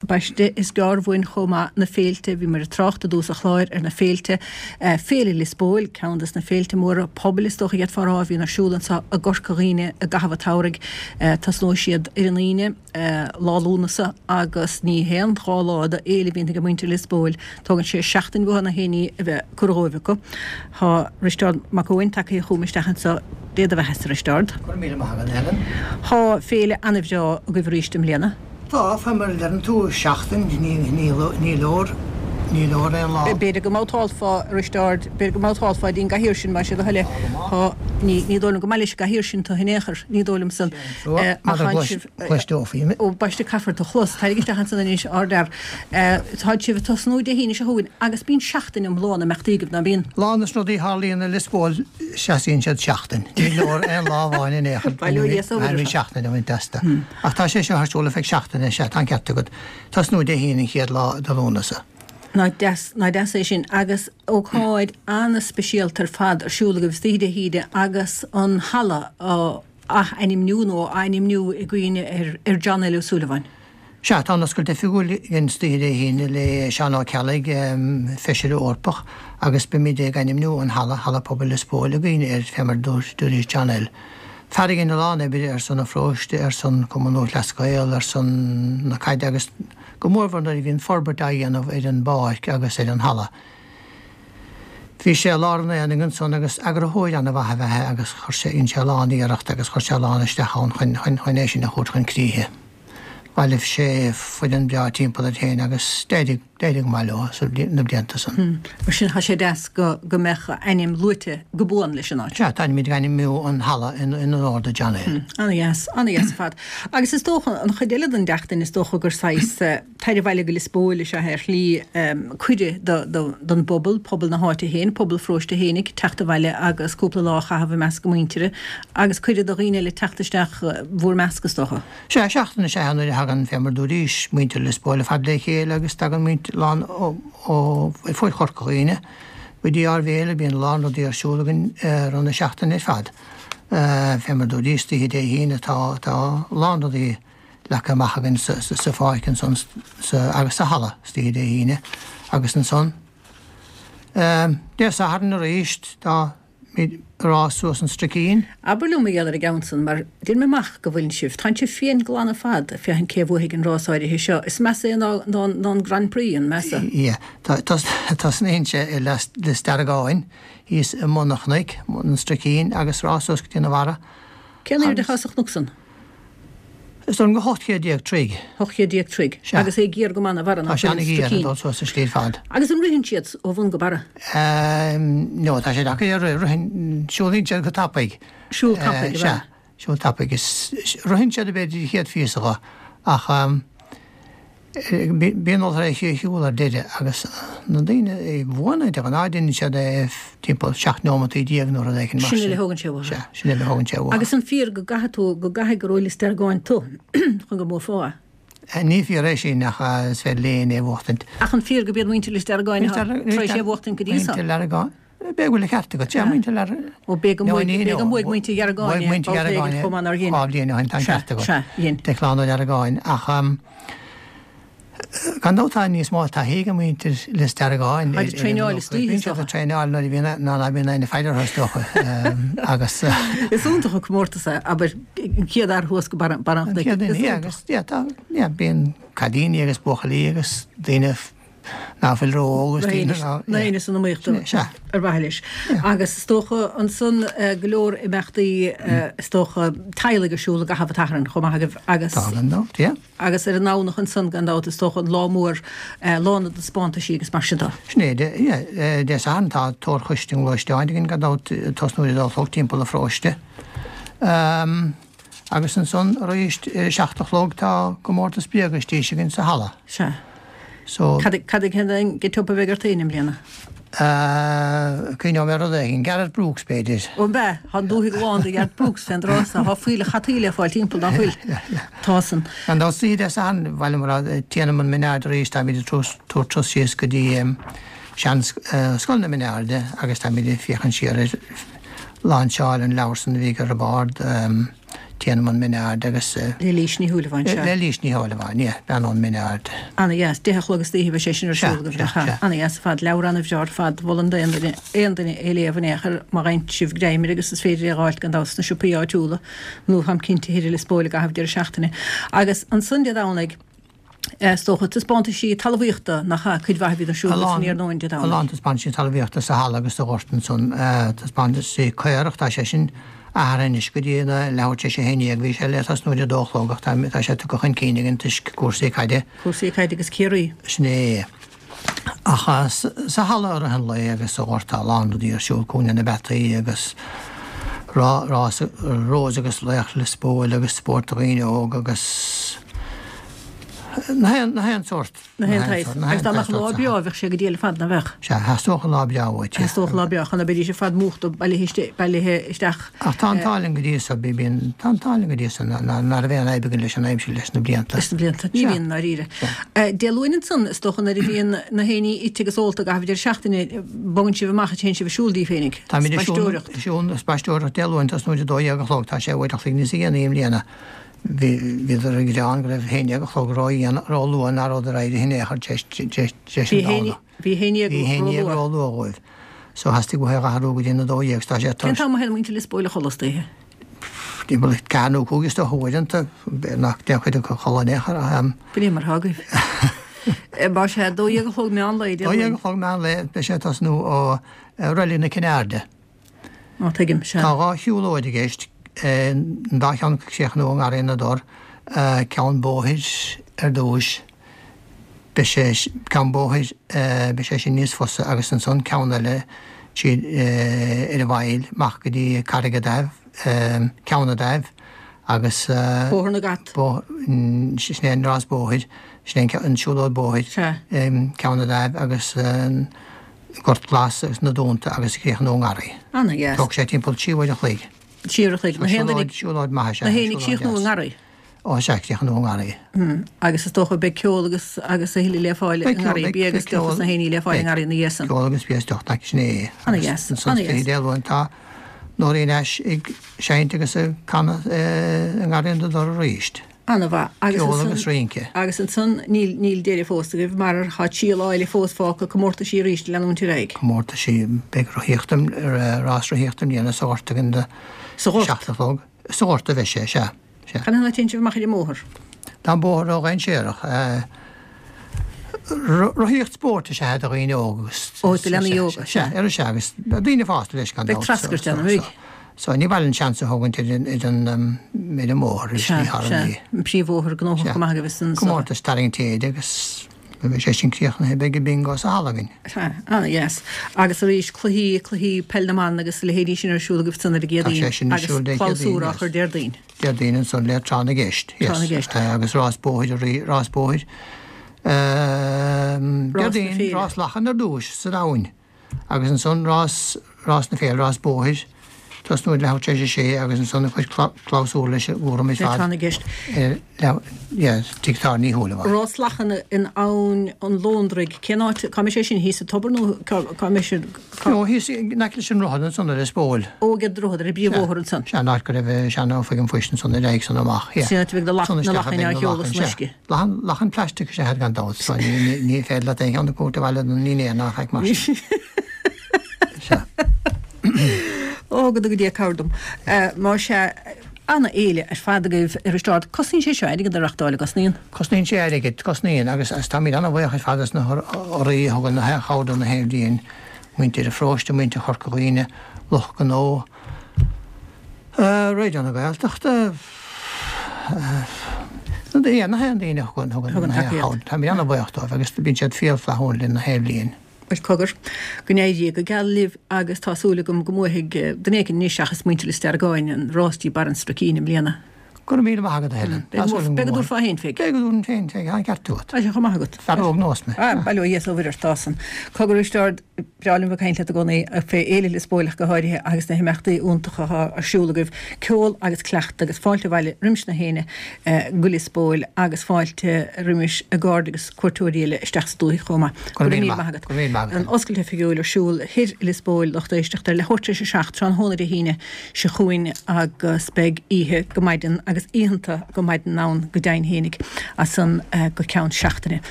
Baiste, is gearr uainn chomh maith na féilte, bhíomar ag trácht i dtús an chláir ar na féilte, Féile Lios Póil, ceann des na féilte móra pobail is dócha a d'fhéadfá a rá a bhíonn ar siúl anseo i gCorca Dhuibhne i gcaitheamh an tsamhraidh. Tosnóidh siad ar an Aoine, Lá Lúnasa, agus ní haon dá lá d'fhéile a bhíonn ag muintir Lios Póil, tógann sé seachtain uathu na haon ní a bheith curtha dhóibh acu. Tá Risteárd Mac Eoin tagtha chugam isteach anseo, Dé do bheatha-sa, a Risteárd. Go raibh míle maith agat, a Helen. Tá féile ana-bhreá agaibh arís i mbliana. Tá, fé mar a deireann tú, seachtain, ní leor, ní leor aon lá. B'fhéidir go mbabhtálfá, a Risteáird, b'fhéidir go mbabhtálfá dtí'n gcathaoir sin, más é do thoil é. Tá, ní, ní dóigh liom go maith leis an gcathaoir sin tu in aon chor, ní dóigh liom san. Ach tánn sibh, cloisteofaí mé. Ó, baiste caithfear tu chlos, Tairig isteach ansan anois, ardfhear. Táid sibh ag tosnú Dé hAoine seo chugainn agus bíonn seachtain iomlán imeachtaí agaibh, ná bíonn? Lán des na rudaí a tharlaíonn i Lios Póil seasaíonn siad seachtain. Ní leor aon lá amháin in aon chor, Bail ó Dhia is ó Mhuire orthu. seachtain a bhaint astu. Ach tá sé seo ar siúl ar feadh seachtaine, sea, tá an ceart agat. Tosnú Dé hAoine an chéad lá de Lúnasa. Nach deas, nach deas é sin. Agus ócáid an-speisialta ar fad ar siúl agaibh istoíche Dé hAoine agus an halla á ath-ainmniú nó á ainmniú i gcuimhne ar ar John L. Ó Súilleabháin. Sea, tá an oscailt oifigiúil againn istoíche Dé hAoine le Seán Ó Ceallaigh, Feisire Eorpach, agus beimid ag ainmniú an halla, Halla Pobail Lios Póil, i gcuimhne air, fé mar a dúirt John L. Fear a dhein a lán oibre ar son an pharóiste, ar son Cumann Lúthchleas Gael, ar son na caide agus go mórmhór nuair a bhí an forbairt á dhéanamh ar an bpáirc agus ar an halla. Bhí sé i lár an aonaigh ansan agus eagarthóir ana-mhaith ab ea é agus chuir sé, dhein sé a lán iarracht agus chuir sé a lán isteach ann chun, chun, chun é sin a thabhairt chun críche. Bhailigh sé foireann breá timpeall air féin agus d'éirigh, d'éirigh go maith leo sa, na blianta san. Mar sin tá sé deas go, go mbeadh a ainm luaite go buan leis an áit. Sea, táimid ag ainmniú an halla in, in onóir do John L. Ana-dheas, ana-dheas ar fad. Agus is dócha, an chuid eile den tseachtain, is dócha gur saghas, Tar abhaile go Lios Póil is ea é ar shlí, cuireadh don bpobal, pobal na háite féin, pobal an pharóiste fhéinig, teacht abhaile agus cúpla lá a chaitheamh i measc a muintire agus cuireadh do dhaoine eile teacht isteach bhúr measc, is dócha. Sea, seachtain is ea é nuair a thagann, fé mar dúraís, muintir Lios Póil ar fad le chéile agus tagann muintir lán ó fuaid Chorca Dhuibhne go dtí ár bhféile, bíonn a lán rudaí ar siúl againn i rith na seachtaine ar fad. Fé mar dúraís, istoíche Dé hAoine tá a lán rudaí leagtha amach againn sa pháirc ansan agus sa halla istoíche Dé hAoine agus ansan Dé Sathairn arís tá rás suas an Stricín. Abair liom mar gheall ar an gceann san mar deir mé amach go bhfuileann sibh, tánn sibh fiain glan ar fad ag féachaint cé a bhuafaidh an rás áirithe seo. Is measa é ná ná an Grand Prix, an measa? Yeah. Tosnaíonn sé i Lios Deargáin thíos i mbun an chnoic, an Stricín, agus rás suas go dtí na Bharra. Cén aoirde atá sa chnoc san? Is dóigh liom go 18 chéad troigh. 18 chéad troigh. Sea. Agus é géar go maith na bharra, Tá sé an-ghéar ag dul suas an slí ar fad. Agus an ritheann siad ó bhun go barra? No, tá sé deacair a rith. Ritheann, siúlaíonn siad go tapaidh. Siúl tapaidh, ab ea? Sea, siúl tapaidh. Is, ritheann siad b'fhéidir an chéad phíosa dho, ach Bíonn tar éis a shiúl ar deireadh agus na daoine a bhuann de ghnáth déanann siad é timpeall 17 neomataí nó rud éigin mar sin. Sin uile a thógann sé uathu. Sea, sin uile a thógann sé uathu. Agus an fíor go gcaithfidh tú, go gcaithfidh gur ó Lios Deargáin tú chun go mbuafá é? Ní fíor é sin ach is féidir le éinne é a bhuachtaint. Ach an fíor go b'iad muintir Lios Deargáin atá tar éis é a bhuachtaint go dtí seo? Muintir Leargáin. B'fhéidir go bhfuil an ceart agat, sea, muintir Lear. Ó b'é go mbuaigh muintir Dheargáin é babhta éigin chomh maith nár dhein. Dhá bhliain ó shin, tá an ceart agat. Sea, dhein. Declan Ó Deargáin, ach gan dabht tá níos mó taithí ag muintir Lios Deargáin. Táid ag traenáil istoíche, is dócha. Bíonn siad ag traenáil nuair a bhíonn, ná ná bíonn éinne ag faire orthu, is dócha, agus. Is iontach an comórtas é, abair, an chéad fhear thuas go barr an chnoic. An chéad duine, yeah, agus, yeah, tá, yeah, bíonn cailíní agus buachaillí agus daoine ná fuil ró-óg agus daoine ná. Na éinne san iomaíocht ar mhaithe leis. Agus is dócha ansan go leor imeachtaí is dócha teaghlaigh ar siúl i gcaitheamh an tSathairn chomh maith agaibh agus. Tá gan dabht, yeah. Agus ar an nDomhnach ansan gan dabht is dócha an lá mór, lá na dtaispeántaisí agus mar sin de. Sin é, yeah. Dé Sathairn tá tórchoiste an ghluaisteáin againn gan dabht ag tosnú ar a dó a chlog timpeall an pharóiste. Agus ansan arís ar a 7 a chlog tá comórtas bréaga istoíche againn sa halla. Sea. So. Cad cad é an get-up a bheidh ort féin i mbliana? Cuimhneoidh mé ar rud éigin. Gareth Brooks b'fhéidir. Ó an b'ea? Tá an dúthaigh lán de Ghareth Brooks fén dtráth so. Tá fuílleach hataí le fáil timpeall, ná fuil? Tá san. Gan dabht istoíche Dé Sathairn, ba mhaith liom a rá, Téanam an Minaird arís, táimid ag tabhairt turas síos go dtí sean Scoil na Mineáirde agus táimid ag féachaint siar ar lainseáil an leabhar san a bhí ag Roibeárd. Téanam ón Min Aird agus. Le Lís Ní Shúilleabháin, sea. Le Lís Ní Shúilleabháin, yeah, bean ón Min Aird. Ana-dheas. 10 a chlog istoíche beidh sé sin ar siúl agaibh, nach ea? Ana-dheas ar fad. Leabhar ana-bhreá ar fad. Mholfainn d'aon duine, aon duine é a léamh in aon chor má fhaigheann sibh greim air agus is féidir é a dh'fháilt gan dabht sna siopaí áitiúla nó táim cinnte thoir i Lios Póil i gcaitheamh deireadh seachtaine. Agus ansan Dé Domhnaigh, Is dócha, taispeántaisí talmhaíochta, nach ea, cuid mhaith a bhíonn ar siúl san iarnóin Dé Domhnaigh. A lán taispeántaisí talmhaíochta sa halla agus sa ghort ansan. Taispeántaisí caorach, tá sé sin athraithe anois go dtí a leathuair tar éis a haon dhéag. Bhí sé le tosnú ar a dó a chlog ach tá sé tugtha chun cinn againn toisc cúrsaí caide. Cúrsaí caide agus Ciarraí. Sin é. Ach sa halla i rith an lae agus sa ghort tá a lán rudaí ar siúl, Cúinne na bPeataí agus rás Rose agus Laoch Lios Póil agus spórt do dhaoine óga agus na haon sórt. Na haon tsaghas. Agus dá mbeadh lá breá bheadh sé go diail ar fad, nach mbeadh? Sea, theastódh an lá breá uait. Theastódh lá breá chun na mbeidís ar fad múchta bailithe isteach. Ach tá an t-ádh linn go dtí so, bíonn, tá an t-ádh linn go dtí so ná raibh aon fhadhb againn leis an aimsir leis na blianta. Leis na blianta. Ní bhíonn, i ndáiríre. Dé Luain ansan, is dócha, nuair a bhíonn na héinní ite agus ólta i gcaitheamh deireadh seachtaine, bogann sibh amach is téann sibh ag siúl daoibh féinig. Táimid ag siúl, ag siúl, spaisteoireacht Dé Luain, tosnú ar 12 a chlog, tá sé uair a chloig níos dhéanaí i mbliana. Bhí, bhíodar ag gearán go raibh 11 a chlog ró-luath, ná rabhadar éirithe in aon chor tar éis an Domhnach. Bhí 11 ró-luath. Ró-luath dhóibh. So theastaigh uathu é a athrú go dtí an 12, so tá sé Cén t-am a théann muintir Lios Póil a chodladh istoíche? Timpeall 4 nó 5 is dócha uaireanta, nach dtéann cuid acu a chodladh in aon chor ach. B'in é mar atá agaibh. Más ea, 12 a chlog meán lae, Dé Luain. 12 a chlog meán lae, beidh sé ag tosnú ó Reilig na Cinne Airde. Ó, tuigim, sea. Tá dhá shiúlóid i gceist, an dá cheann ag críochnú i nGarraí na dTor, ceann bóthair ar dtúis, beidh sé, ceann bóthair, beidh sé sin níos fusa agus ansan ceann eile tríd ar an bhfaill amach go dtí Carraig an Daimh, Ceann an Daimh agus. Bóthar na gCat. Sin é an rás bóthair, sin é an siúlóid bóthair, Ceann an Daimh agus an Gort Glas agus na Dúnta agus críochnú i nGarraí. Ana-dheas. Tógfaidh sé timpeall 3 uair an chloig. 3 uair an chloig. Na haon duine. Siúlóid maith is ea. Na héinne ag críochnú i nGarraí. Ó sea, críochnú i nGarraí. Agus is dócha beidh ceol agus agus a thuilleadh le fáil i nGarraí, bia agus deoch agus na héinní le fáil i nGarraí ina dhiaidh san. Ceol agus bia is deoch, sin é. Ana-dheas, ana-dheas. Dé Luain tá Nóirín Ashe ag seinnt agus ag canadh i nGarraí na dTor arís. Ana-mhaith. Agus Ceol agus rince. Agus ansan níl, níl deireadh fós agaibh mar tá trí lá eile fós fágtha, comórtaisí arís le leanúint ar aghaidh. Comórtaisí, beidh rothaíocht, rás rothaíochta i mbliana sa ghort againn do Sa ghort? seacht a chlog. Sa ghort a bheidh sé, sea. Sea. Cad ina thaobh a dtéann sibh amach ar an mbóthar? Tá an bóthar ródhainséarach. Rothaíocht spóirt is ea é do dhaoine óga agus. Ó, do leanaí óga, sea. Sea, sea, agus daoine fásta leis gan dabht. Beidh treascairt ann, an mbeidh? So, ní mhaith linn seans a thógaint ar an ar an mbóthar. Sea, sea. An príomhbhóthar gnóthach go maith agaibh is an. Comórtas tarraingt téide agus. Nuair a bheidh sé sin críochnaithe beidh bingo sa halla againn. Sea, ana-dheas. Agus arís, cluichí, cluichí peil na mban agus a leithéidí sin ar siúl agaibh san ar an Tá sé sin ar agus siúl Dé Céadaoin, clabhsúr á chur Déardaoin. Déardaoin ansan le Tráth na gCeist, yes. Tráth na gCeist. Agus rás bóthair arís, rás bóthair. Rás na Déardaoin, Féile. rás lachan ar dtúis san abhainn. Agus ansan rás, rás na féile, rás bóthair, tosnú ag leathuair tar éis a sé agus ansan an chuid clabhsúr leis an gcúram ar fad. Tráth na gCeist. Yeah, tigh Tara Ní Shúilleabháin. Rás lachan in Abhainn an Lóndraigh, cén áit, cá mbeidh sé sin, thíos sa tobar nó cá mbeidh sé, cá. No, thíos in aice leis an droichead ansan ar Lios Póil. Ó, ag an droichead, ar an bpríomhbhóthar ansan. Sea, an áit go raibh sean-oifig an phoist ansan ar aghaidh san amach, yeah. Sin áit a bheidh na lachain á sheoladh san uisce. Lachan, lachan plaisteach is ea iad gan dabht, so ní, ní, ní féidir leat aon cheann a thabhairt abhaile don ndinnéar ná faic mar sin. Sea. Ó, go dtuga Dia cabhair dom. Más ea, ana-fhéile ar fad agaibh a Risteárd. Cosnaíonn sé seo airgead a reachtáil, an gcosnaíonn? Cosnaíonn sé airgead, cosnaíonn, agus, agus táimid ana-bhuíoch ar fad as na hurraí a thugann na haon chabhair do na haon bhliain, muintir an pharóiste, muintir Chorca Dhuibhne, lucht gnó, Raidió na Gaeltachta, na haon daoine a thugann Thugann tacaíocht. Táimid an-bhuíoch dóibh agus bíonn siad fial flaithiúil linn na haon bhliain. Bhuel cogar, go n-éirí go geal libh agus tá súil agam go mbuafaidh duine éicint anois seachas muintir Lios Deargáin an rás dtí Barr an Struicín i mbliana. Go raibh míle maith agat a Helen. Tá súil agam go Beidh go dtabharfá féin fé. Beidh go dtabharfainn féin fé, tá an ceart agat. Tá sé chomh maith agat. Fear óg nós mé. Ah, bail ó Dhia is ó Mhuire ort, tá san. Cogar a Risteárd. Breá liom bheith ag caint leat i gcónaí fé Fhéile Lios Póil ach go háirithe agus na himeachtaí iontacha atá ar siúl agaibh, ceol agus cleachtadh agus fáilte abhaile roimis na héinne go Lios Póil agus fáilte roimis a gcairde agus cuairteoirí eile isteach sa dúthaigh chomh maith. Go raibh míle maith agat. Go raibh míle maith agat. An oscailt oifigiúil ar siúl thoir i Lios Póil, lucht éisteachta, ar leathuair tar éis a 7 tráthnóna Dé hAoine seo chugainn agus beidh oíche go maidin agus oícheanta go maidin ann go deimhin fhéinig as san go ceann seachtaine.